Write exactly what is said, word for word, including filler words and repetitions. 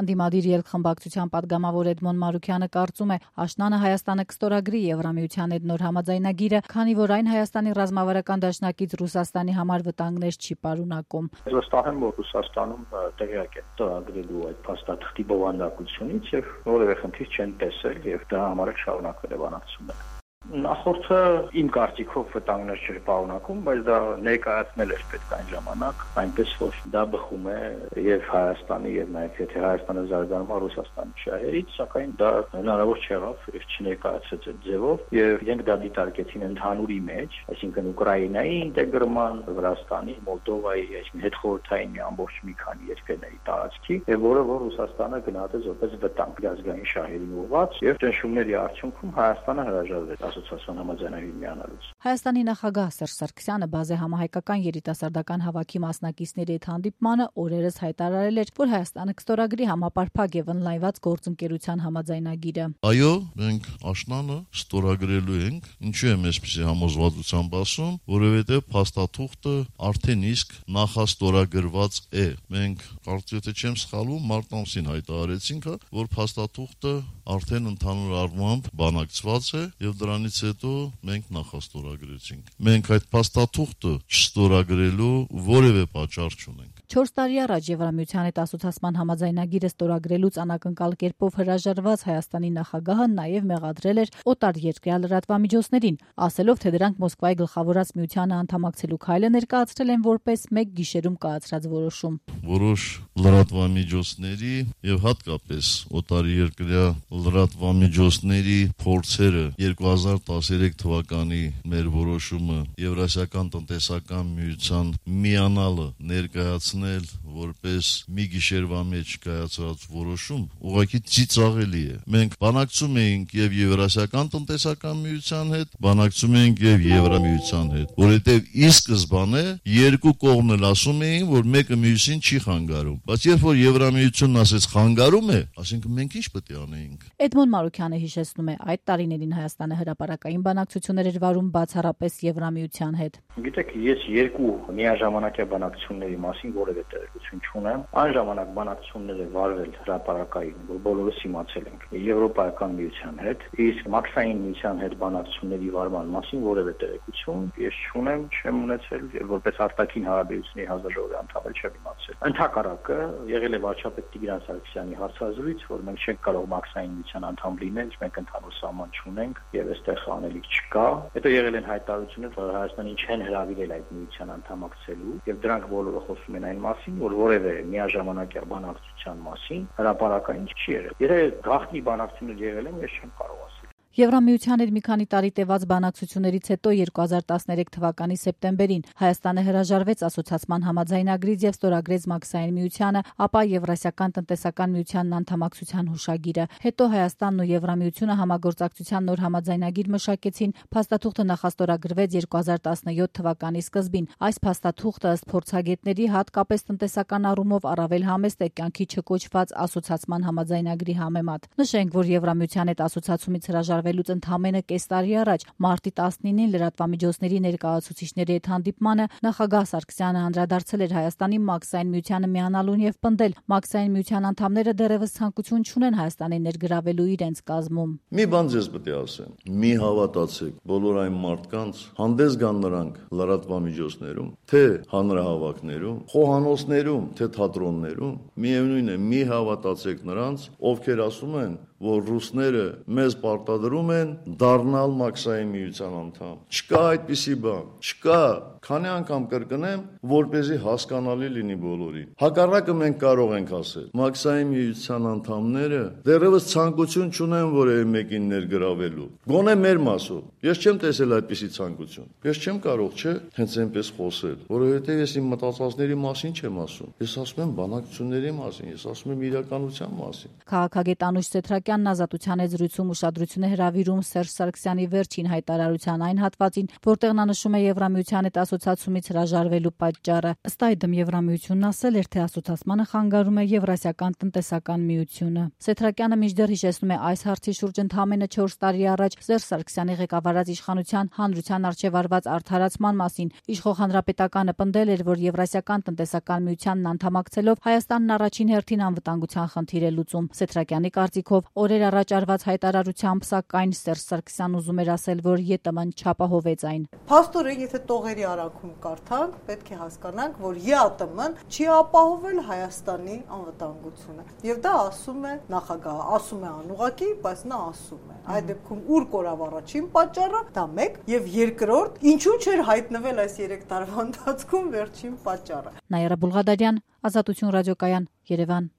Ընդդիմադիր ելք-խմբակցության պատգամավոր Էդմոն Մարուքյանը կարծում է, աշնանը Հայաստանը կստորագրի Եվրամիության հետ նոր համաձայնագիրը, քանի որ այն Հայաստանի ռազմավարական դաշնակից Ռուսաստանի համար վտանգներ չի պարունակում։ Վստահ եմ, որ Ռուսաստանում տեղյակ է ստորագրելու այդ փաստաթղթի բովանդակությունից եւ որևէ խնդիր չեն տեսել եւ դա համար է շարունակվել է բանակցությունը։ Նախորդը իմ կարծիքով վտանգներ չէր պարունակում, բայց դա ներկայացնել էր պետք այն ժամանակ, այնպես որ դա բխում է եւ Հայաստանի եւ նաեւ եթե Հայաստանը զարգանում է Ռուսաստանի շահերից, սակայն դա հնարավոր չեղավ եւ չներկայացեց այդ ձևով եւ իրենք դա դիտարկեցին ընդհանուրի մեջ, այսինքն Ուկրաինայի ինտեգրման, Վրաստանի, Մոլդովայի, այսինքն հետխորհրդային մի ամբողջ մի քանի երկրների տարածքի եւ որը որ Ռուսաստանը գնահատեց որպես վտանգ ազգային շահերին ուղղված եւ ճնշումների արդյունքում Հայաստանը հրաժարվեց ասոցիացիոն համաձայնագիր միանալուց։ Հայաստանի նախագահ Սերժ Սարգսյանը բազե համահայկական երիտասարդական հավաքի մասնակիցների հետ հանդիպմանը օրերս հայտարարել էր, որ Հայաստանը կստորագրի համապարփակ եւ ընդլայնված գործընկերության համաձայնագիրը։ Այո, մենք աշնանը ստորագրելու ենք, ինչու եմ այսպեսի համոզվածությամբ ասում, որովհետեւ փաստաթուղթը արդեն իսկ նախաստորագրված է։ Մենք կարծես թե չեմ սխալվում, մարտ ամսին հայտարարեցինք, որ փաստաթուղթը արդեն ընդհանուր առմամբ բանակցված է եւ դրանից հետո մենք նախաստորագրեցինք։ Մենք այդ փաստաթուղթը չստորագրելու որևէ պատճառ չունենք։ չորս տարի առաջ Եվրամիության հետ ասոցիացման համաձայնագիրը ստորագրելուց անակնկալ կերպով հրաժարված Հայաստանի նախագահը նաև մեղադրել էր օտարերկրյա լրատվամիջոցներին, ասելով, թե դրանք Մոսկվայի գլխավորած միությանը անդամակցելու քայլը ներկայացրել են որպես մեկ գիշերում կայացրած որոշում։ Որոշ լրատվամիջոցների եւ հատկապես օտարերկրյա լրատվամիջոցների փորձերը երկու հազար տասներեք թվականի մեր որոշումը Եվրասիական տնտեսական միության միանալը ներկայացնել որպես մի գիշերվա մեջ կայացած որոշում ուղղակի ծիծաղելի է։ Մենք բանակցում էինք եւ Եվրասիական տնտեսական միության հետ, բանակցում էինք եւ Եվրամիության հետ, որովհետեւ ի սկզբանե երկու կողմն էլ ասում էին, որ մեկը մյուսին չի խանգարում, բայց երբ որ Եվրամիությունն ասեց խանգարում է, ասինքն մենք ինչ պետք է անեինք։ Էդմոն Մարուքյանը հիշեցնում է, այդ տարիներին Հայաստանը հրապարակային բանակցություններ էր վարում բացառապես Եվրամիության հետ։ Գիտեք, ես երկու միաժամանակյա բանակցությունների մասին որևէ տեղեկություն չունեմ։ Այն ժամանակ բանակցությունները վարվել հրապարակային, որ բոլորս իմացել ենք Եվրոպայական միության հետ, իսկ Մաքսային միության հետ բանակցությունների վարման մասին որևէ տեղեկություն ես չունեմ, չեմ ունեցել եւ որպես արտաքին հարաբերությունների հանձնաժողովի անդամ չեմ իմացել։ Ընդհակառակը եղել է վարչապետ Տիգրան Սարգսյանի հարցազրույց, որ մենք չենք կարող Մաքսային միության անդամ լինել, մենք ընդհանուր սահման չունենք եւ այստեղ անելիք չկա։ Հետո եղել են հայտարարություններ, որ Հայաստանին չեն հրավիրել այդ միության անդամակցելու եւ դրանք բոլորը խոսում են այն մասին, որ որևէ միաժամանակյա բանակցության մասին հրապարակային չի եղել։ Եթե գաղտնի բանակցություններ եղել են, ես չեմ կարող ասել։ Եվրամիության հետ մի քանի տարի տևած բանակցություններից հետո երկու հազար տասներեք թվականի սեպտեմբերին Հայաստանը հրաժարվեց ասոցիացման համաձայնագրից եւ ստորագրեց Մաքսային միությանը, ապա Եվրասիական տնտեսական միությանն անդամակցության հուշագիրը։ Հետո Հայաստանն ու Եվրամիությունը համագործակցության նոր համաձայնագիր մշակեցին, փաստաթուղթը նախաստորագրվեց երկու հազար տասնյոթ թվականի սկզբին։ Այս փաստաթուղթը ըստ փորձագետների հատկապես տնտեսական առումով առավել համեստ է կյանքի չկոչված ասոցիացման համաձայնագրի համեմատ։ Նշենք, որ Եվրամիության հետ ասոցիացումից հրաժարվելուց ընդամենը կես տարի առաջ մարտի տասնինին լրատվամիջոցների ներկայացուցիչների հետ հանդիպմանը նախագահ Սարգսյանը անդրադարձել էր Հայաստանի Մաքսային միությանը միանալուն եւ պնդել, Մաքսային միության անդամները դեռևս ցանկություն չունեն Հայաստանի ներգրավելու իրենց կազմում։ Մի բան ձեզ պետք է ասեմ, մի հավատացեք, բոլոր այն մարդկանց հանդես գան նրանք լրատվամիջոցներում, թե հանրահավաքներում, խոհանոցներում, թե թատրոններում, միևնույն է, մի հավատացեք նրանց, ովքեր ասում են, որ ռուսները մեզ պարտադրում են դառնալ Մաքսային միության անդամ։ Չկա այդպիսի բան, չկա, քանի անգամ կրկնեմ, որպեսզի հասկանալի լինի բոլորին։ Հակառակը մենք կարող ենք ասել, Մաքսային միության անդամները դեռևս ցանկություն չունեն որևէ մեկին ներգրավելու։ Գոնե մեր մասով։ Ես չեմ տեսել այդպիսի ցանկություն։ Ես չեմ կարող, չէ, հենց այնպես խոսել, որովհետև ես իմ մտածածների մասին չեմ ասում։ Ես ասում եմ բանակցությունների մասին, ես ասում եմ իրականության մասին։ Քաղաքագետ Անուշ Սեթրակյանը Սեթրակյանն Ազատության հետ զրույցում ուշադրություն է հրավիրում Սերժ Սարգսյանի վերջին հայտարարության այն հատվածին, որտեղ նա նշում է Եվրամիության հետ ասոցիացումից հրաժարվելու պատճառը։ Ըստ այդմ Եվրամիությունն ասել էր, թե ասոցացմանը խանգարում է Եվրասիական տնտեսական միությունը։ Սեթրակյանը մինչդեռ հիշեցնում է այս հարցի շուրջ ընդամենը չորս տարի առաջ Սերժ Սարգսյանի ղեկավարած իշխանության հանրության առջև արված արդարացման մասին իշխող հանրապետականը պնդել էր, որ Եվրասիական տնտեսական միությանն անդամակցելով Հայաստանն առաջին հերթին անվտանգության խնդիր է լուծում։ Սեթրակյանի կարծիքով օրեր առաջ արված հայտարարությամբ սակայն Սերժ Սարգսյանն ուզում էր ասել, որ ԵՏՄ-ն չապահովեց այն։ Փաստորեն, եթե տողերի արանքում կարդանք, պետք է հասկանանք, որ ԵԱՏՄ-ն չի ապահովել Հայաստանի անվտանգությունը։ Եվ դա ասում է նախագահը, ասում է անուղղակի, բայց նա ասում է։ Այդ դեպքում ուր կորավ առաջին պատճառը, դա մեկ, եւ երկրորդ, ինչու չէր հայտնվել այս երեք տարվա ընթացքում վերջին պատճառը։ Նաիրա Բուլղադարյան, Ազատություն ռադիոկայան, Երևան։